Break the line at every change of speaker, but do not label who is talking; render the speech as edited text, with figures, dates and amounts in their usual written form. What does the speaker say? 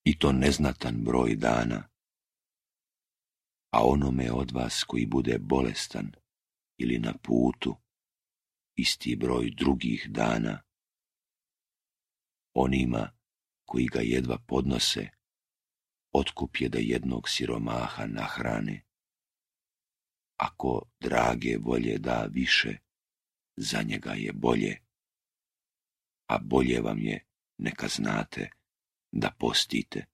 i to neznatan broj dana, a onome od vas koji bude bolestan ili na putu, isti broj drugih dana. Onima koji ga jedva podnose, otkup je da jednog siromaha nahrane. Ako drage volje da više, za njega je bolje, a bolje vam je, neka znate, da postite.